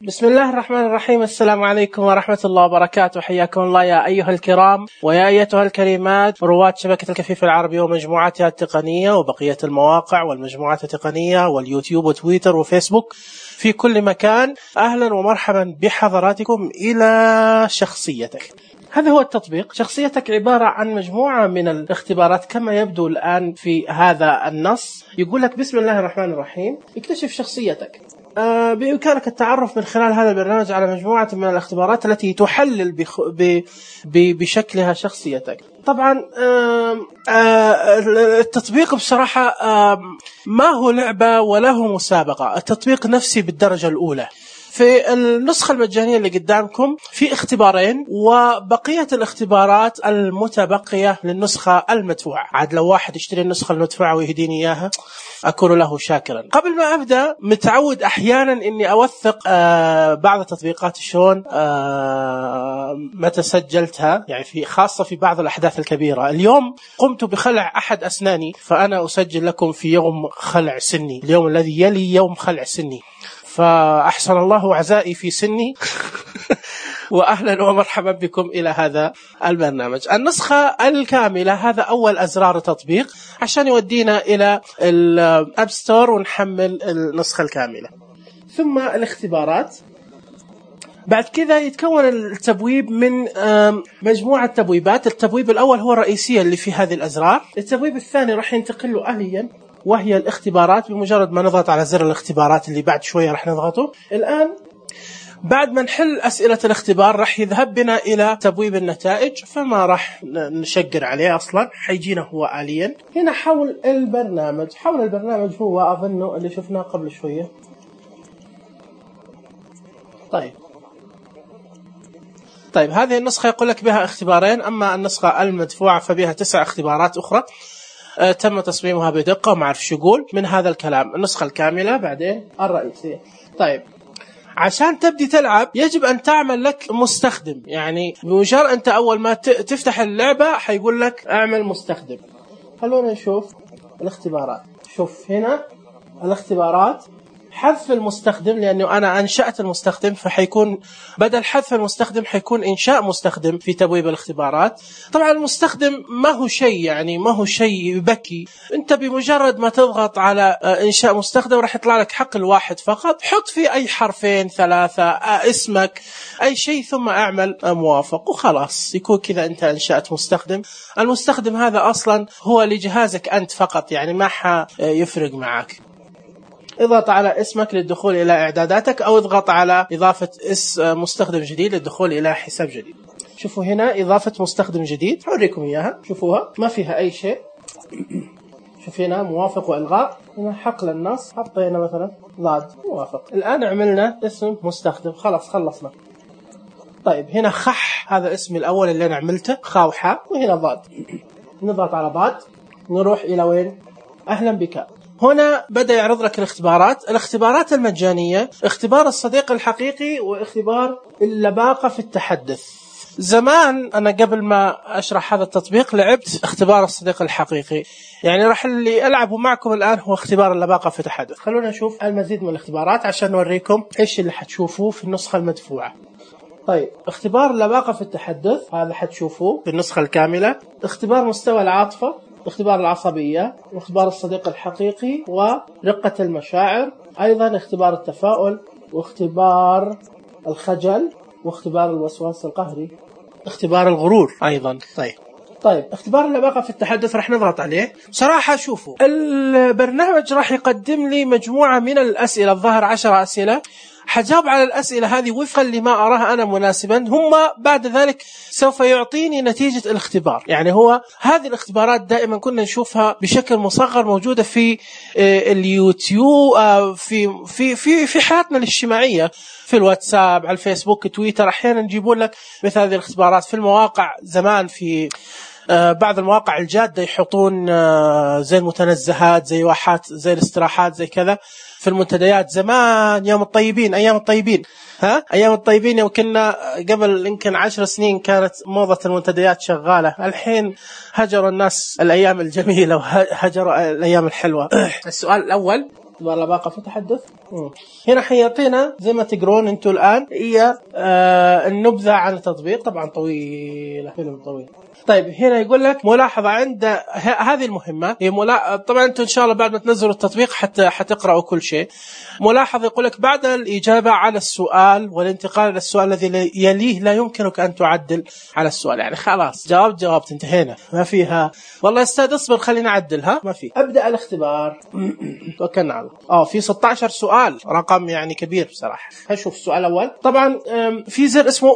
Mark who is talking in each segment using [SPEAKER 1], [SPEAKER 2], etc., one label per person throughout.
[SPEAKER 1] بسم الله الرحمن الرحيم. السلام عليكم ورحمة الله وبركاته. حياكم الله يا أيها الكرام ويا أيتها الكريمات، رواد شبكة الكفيف العربي ومجموعاتها التقنية وبقية المواقع والمجموعات التقنية واليوتيوب وتويتر وفيسبوك في كل مكان. أهلا ومرحبا بحضراتكم إلى شخصيتك. هذا هو التطبيق. شخصيتك عبارة عن مجموعة من الاختبارات كما يبدو الآن في هذا النص. يقول لك بسم الله الرحمن الرحيم اكتشف شخصيتك. بإمكانك التعرف من خلال هذا البرنامج على مجموعة من الاختبارات التي تحلل بشكلها شخصيتك. طبعا التطبيق بصراحة ما هو لعبة ولا هو مسابقة، التطبيق نفسي بالدرجة الأولى. في النسخة المجانية اللي قدامكم في اختبارين، وبقية الاختبارات المتبقية للنسخة المدفوعة. عاد لو واحد يشتري النسخة المدفوعة ويهديني إياها أكون له شاكرا. قبل ما أبدأ متعود أحيانا إني أوثق بعض التطبيقات شلون متى سجلتها، يعني في خاصة في بعض الأحداث الكبيرة. اليوم قمت بخلع أحد أسناني، فأنا أسجل لكم في يوم خلع سني، اليوم الذي يلي يوم خلع سني، فأحسن الله عزائي في سني. وأهلا ومرحبا بكم إلى هذا البرنامج. النسخة الكاملة هذا أول أزرار التطبيق عشان يودينا إلى الأب ستور ونحمل النسخة الكاملة. ثم الاختبارات. بعد كذا يتكون التبويب من مجموعة تبويبات. التبويب الأول هو الرئيسية اللي في هذه الأزرار. التبويب الثاني راح ينتقل له آليا وهي الاختبارات. بمجرد ما نضغط على زر الاختبارات اللي بعد شوية راح نضغطه الآن، بعد ما نحل أسئلة الاختبار راح يذهب بنا إلى تبويب النتائج، فما راح نشقر عليه أصلا، حيجينا هو آليا. هنا حول البرنامج. حول البرنامج هو أظنه اللي شفناه قبل شوية. طيب هذه النسخة يقول لك بها اختبارين، أما النسخة المدفوعة فبها 9 اختبارات أخرى تم تصميمها بدقة وما أعرف شو يقول من هذا الكلام. النسخة الكاملة بعدين الرئيسية. طيب عشان تبدي تلعب يجب أن تعمل لك مستخدم، يعني بمجرد أنت أول ما تفتح اللعبة حيقول لك أعمل مستخدم. خلونا نشوف الاختبارات. شوف هنا الاختبارات، حذف المستخدم لأنه أنا أنشأت المستخدم، فحيكون بدل حذف المستخدم حيكون إنشاء مستخدم في تبويب الاختبارات. طبعا المستخدم ما هو شيء، يعني ما هو شيء يبكي. أنت بمجرد ما تضغط على إنشاء مستخدم راح يطلع لك حق الواحد فقط. حط فيه أي حرفين 3 اسمك أي شيء ثم أعمل موافق وخلاص، يكون كذا أنت أنشأت مستخدم. المستخدم هذا أصلا هو لجهازك أنت فقط، يعني ما يفرق معك. اضغط على اسمك للدخول إلى إعداداتك، أو اضغط على إضافة مستخدم جديد للدخول إلى حساب جديد. شوفوا هنا إضافة مستخدم جديد، أوريكم إياها. شوفوها ما فيها أي شيء. شوف هنا موافق وإلغاء. هنا حقل النص حطينا مثلا ضاد موافق. الآن عملنا اسم مستخدم، خلاص خلصنا. طيب هنا خح، هذا اسمي الأول اللي أنا عملته، خاوحة، وهنا ضاد. نضغط على ضاد نروح إلى وين؟ أهلا بك. هنا بدأ يعرض لك الاختبارات المجانية، اختبار الصديق الحقيقي واختبار اللباقة في التحدث. زمان أنا قبل ما أشرح هذا التطبيق لعبت اختبار الصديق الحقيقي، يعني راح اللي ألعبه معكم الآن هو اختبار اللباقة في التحدث. خلونا نشوف المزيد من الاختبارات عشان نوريكم إيش اللي حتشوفوه في النسخة المدفوعة. طيب اختبار اللباقة في التحدث هذا حتشوفوه في النسخة الكاملة. اختبار مستوى العاطفة، اختبار العصبية، واختبار الصديق الحقيقي، ورقة المشاعر، أيضا اختبار التفاؤل، واختبار الخجل، واختبار الوسواس القهري، اختبار الغرور أيضا. طيب اختبار اللباقة في التحدث راح نضغط عليه. صراحة شوفوا البرنامج راح يقدم لي مجموعة من الأسئلة، الظاهر 10 أسئلة. حجاوب على الأسئلة هذه وفقا لما أراه أنا مناسبا، هم بعد ذلك سوف يعطيني نتيجة الاختبار. يعني هو هذه الاختبارات دائما كنا نشوفها بشكل مصغر موجودة في اليوتيوب، في حياتنا الاجتماعية، في الواتساب، على الفيسبوك، تويتر. أحيانا يجيبون لك مثل هذه الاختبارات في المواقع. زمان في بعض المواقع الجادة يحطون زي المتنزهات، زي واحات، زي الاستراحات، زي كذا في المنتديات. زمان يوم الطيبين، أيام الطيبين، أيام الطيبين يوم كنا قبل يمكن 10 سنين كانت موضة المنتديات شغالة. الحين هجروا الناس الأيام الجميلة وهجروا الأيام الحلوة. السؤال الأول اختبار لا باقة في تحدث. هنا حيعطينا زي ما تقرون انتم الآن هي النبذة عن التطبيق، طبعا طويلة، فيلم طويل. طيب هنا يقول لك ملاحظة عند هذه المهمة هي طبعا انتم ان شاء الله بعد ما تنزلوا التطبيق حتقرأوا كل شيء. ملاحظة يقول لك بعد الإجابة على السؤال والانتقال إلى السؤال الذي يليه لا يمكنك أن تعدل على السؤال. يعني خلاص جاوبت انتهينا، ما فيها والله يا أستاذ اصبر خلينا نعدلها، ما في. أبدأ الاختبار. توكلنا على الله. في 16 سؤال، رقم يعني كبير بصراحة. هشوف السؤال الأول. طبعا في زر اسمه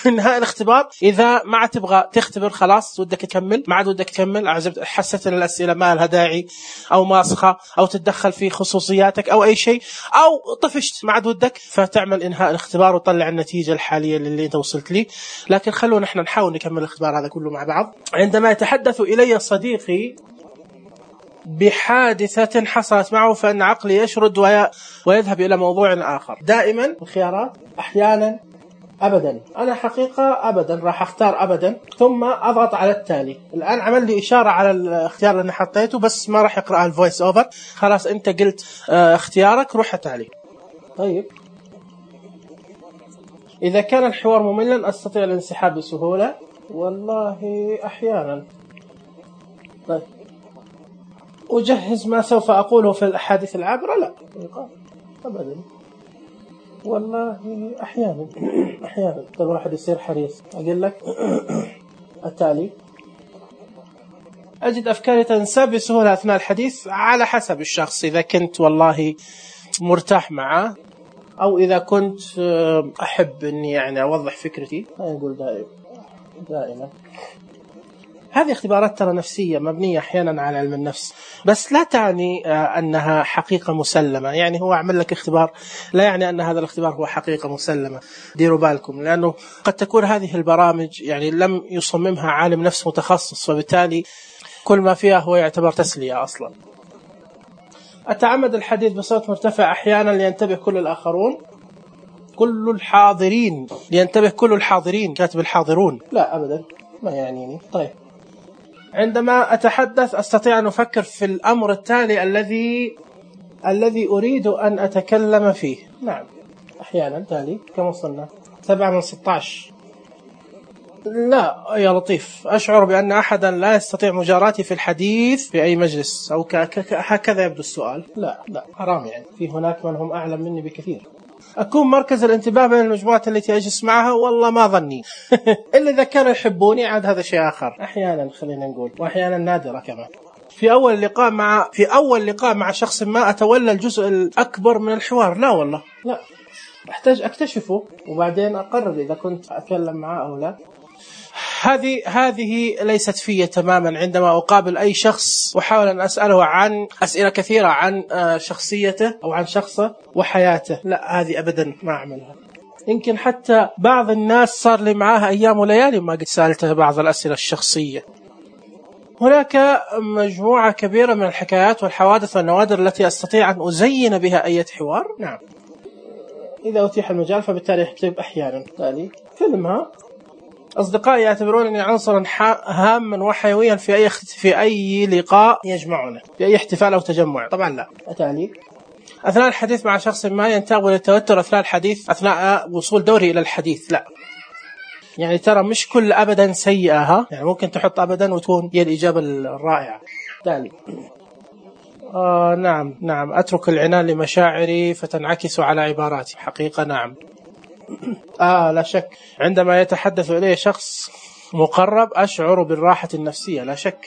[SPEAKER 1] انهاء الاختبار. إذا ما تبغى تختبر خلاص ودك تكمل، ما عاد ودك تكمل، حسيت ان الأسئلة ما لها داعي أو ماسخة أو تتدخل في خصوصياتك أو أي شيء أو طفشت ما عاد ودك، فتعمل إنهاء الاختبار وطلع النتيجة الحالية اللي أنت وصلت لي. لكن خلونا احنا نحاول نكمل الاختبار هذا كله مع بعض. عندما يتحدث إلي صديقي بحادثة حصلت معه فإن عقلي يشرد ويذهب إلى موضوع آخر. دائما الخيارات، أحيانا، أبدا. أنا حقيقة أبدا راح أختار أبدا ثم أضغط على التالي. الآن عمل لي إشارة على الاختيار اللي أنا حطيته بس ما راح يقرأ الفويس أوفر. خلاص أنت قلت اختيارك، روح تالي. طيب إذا كان الحوار مملا أستطيع الانسحاب بسهولة. والله أحيانا. طيب أجهز ما سوف أقوله في الأحاديث العابرة؟ لا أبدا. والله أحيانا الواحد يصير حريص. أقول لك التالي. أجد أفكاري تنساب بسهولة أثناء الحديث على حسب الشخص. إذا كنت والله مرتاح معه أو إذا كنت أحب أني يعني أوضح فكرتي أقول دائما. هذه اختبارات ترى نفسية مبنية أحيانا على علم النفس، بس لا تعني أنها حقيقة مسلمة. يعني هو عمل لك اختبار لا يعني أن هذا الاختبار هو حقيقة مسلمة. ديروا بالكم، لأنه قد تكون هذه البرامج يعني لم يصممها عالم نفس متخصص، فبالتالي كل ما فيها هو يعتبر تسلية أصلا. أتعمد الحديث بصوت مرتفع أحيانا لينتبه كل الآخرون. كل الحاضرين لينتبه كل الحاضرين، كاتب الحاضرون. لا أبدا ما يعنيني. طيب عندما أتحدث أستطيع أن أفكر في الأمر التالي الذي أريد أن أتكلم فيه. نعم أحيانا. تالي كم وصلنا؟ 7 من 16. لا يا لطيف، أشعر بأن أحدا لا يستطيع مجاراتي في الحديث في أي مجلس أو هكذا يبدو السؤال. لا حرام، يعني في هناك من هم أعلم مني بكثير. أكون مركز الانتباه بين المجموعات التي أجلس معها؟ والله ما ظني. إلا إذا كانوا يحبوني عاد هذا شيء آخر. أحيانا خلينا نقول، وأحيانا نادرة كمان. في أول لقاء مع شخص ما أتولى الجزء الأكبر من الحوار. لا والله لا، أحتاج أكتشفه وبعدين أقرر إذا كنت أتكلم معه أو لا. هذه ليست فيا تماما. عندما أقابل أي شخص وحاول أن أسأله عن أسئلة كثيرة عن شخصيته أو عن شخصه وحياته، لا هذه أبدا ما أعملها. يمكن حتى بعض الناس صار لي معاها أيام وليالي ما قد سألته بعض الأسئلة الشخصية. هناك مجموعة كبيرة من الحكايات والحوادث والنوادر التي أستطيع أن أزين بها أي حوار. نعم إذا أتيح المجال، فبالتالي أكتب أحيانا. تالي فيلمها. أصدقائي يعتبرونني عنصرا هاما وحيويا في أي لقاء يجمعنا، في أي احتفال أو تجمع. طبعا لا. أتالي. أثناء الحديث مع شخص ما ينتاب للتوتر أثناء الحديث أثناء وصول دوري إلى الحديث. لا يعني ترى مش كل أبدا سيئة، يعني ممكن تحط أبدا وتكون هي الإجابة الرائعة. تالي. نعم أترك العنان لمشاعري فتنعكس على عباراتي. حقيقة نعم. لا شك. عندما يتحدث إليه شخص مقرب أشعر بالراحة النفسية. لا شك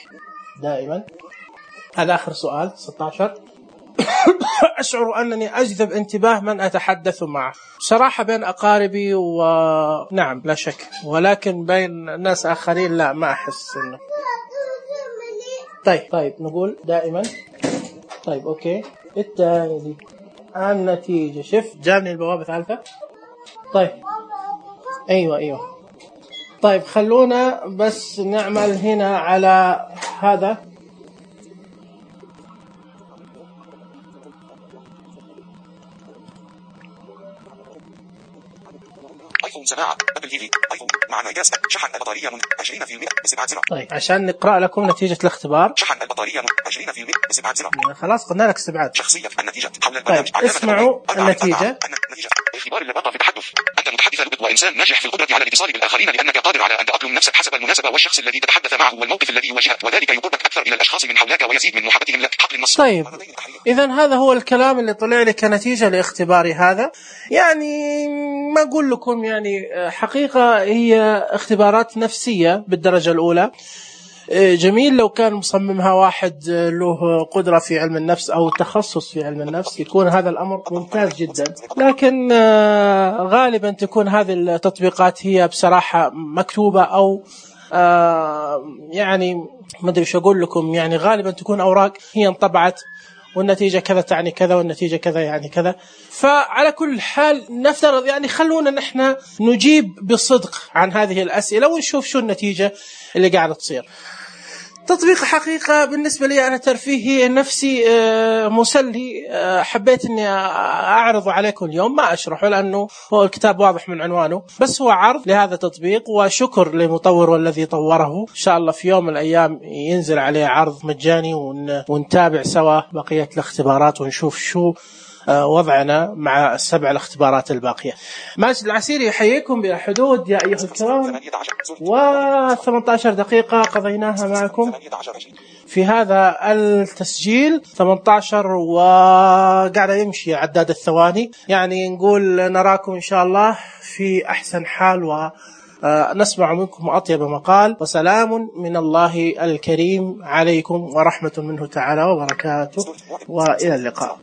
[SPEAKER 1] دائما. هذا آخر سؤال 16. أشعر أنني أجذب انتباه من أتحدث معه. صراحة بين أقاربي ونعم لا شك، ولكن بين ناس آخرين لا، ما أحس إنه. طيب نقول دائما. طيب أوكي. التالي النتيجة. شف جابني البوابة ثالثة. طيب أيوة. طيب خلونا بس نعمل هنا على هذا.
[SPEAKER 2] ايفون سماعة ابل تي في ايفون مع انعكاس شحن البطارية 20% ب7 زر.
[SPEAKER 1] طيب عشان نقرأ لكم نتيجة الاختبار.
[SPEAKER 2] شحن البطارية 20% ب7 زر.
[SPEAKER 1] خلاص قلنا لك استبعاد.
[SPEAKER 2] شخصية النتيجة حول البرنامج.
[SPEAKER 1] طيب اسمعوا النتيجة.
[SPEAKER 2] اختبار اللباقة في التحدث. أنت متحدث لبق وإنسان ناجح في القدرة على الاتصال بالآخرين لأنك قادر على أن تأقلم نفسك حسب المناسبة والشخص الذي تتحدث معه والموقف الذي يواجهك وذلك يقربك أكثر إلى الأشخاص من حولك ويزيد من محبتهم لك. حقل النص.
[SPEAKER 1] طيب إذا هذا هو الكلام اللي طلع لي كنتيجة لاختباري هذا. يعني ما أقول لكم يعني حقيقة هي اختبارات نفسية بالدرجة الأولى. جميل لو كان مصممها واحد له قدرة في علم النفس أو تخصص في علم النفس يكون هذا الأمر ممتاز جدا، لكن غالبا تكون هذه التطبيقات هي بصراحة مكتوبة أو يعني ما أدري شو أقول لكم، يعني غالبا تكون أوراق هي انطبعت والنتيجة كذا تعني كذا والنتيجة كذا يعني كذا. فعلى كل حال نفترض يعني خلونا نحن نجيب بصدق عن هذه الأسئلة ونشوف شو النتيجة اللي قاعدة تصير. تطبيق حقيقة بالنسبة لي أنا ترفيهي نفسي مسلي، حبيت أني أعرضه عليكم اليوم، ما أشرحه لأنه هو الكتاب واضح من عنوانه، بس هو عرض لهذا التطبيق وشكر لمطور والذي طوره. إن شاء الله في يوم من الأيام ينزل عليه عرض مجاني ونتابع سوا بقية الاختبارات ونشوف شو وضعنا مع 7 الاختبارات الباقية. ماجد العسيري يحييكم بحدود يا أيها الكرام، و18 دقيقة قضيناها معكم في هذا التسجيل 18 وقاعد يمشي عداد الثواني، يعني نقول نراكم إن شاء الله في أحسن حال ونسمع منكم أطيب مقال، وسلام من الله الكريم عليكم ورحمة منه تعالى وبركاته، وإلى اللقاء.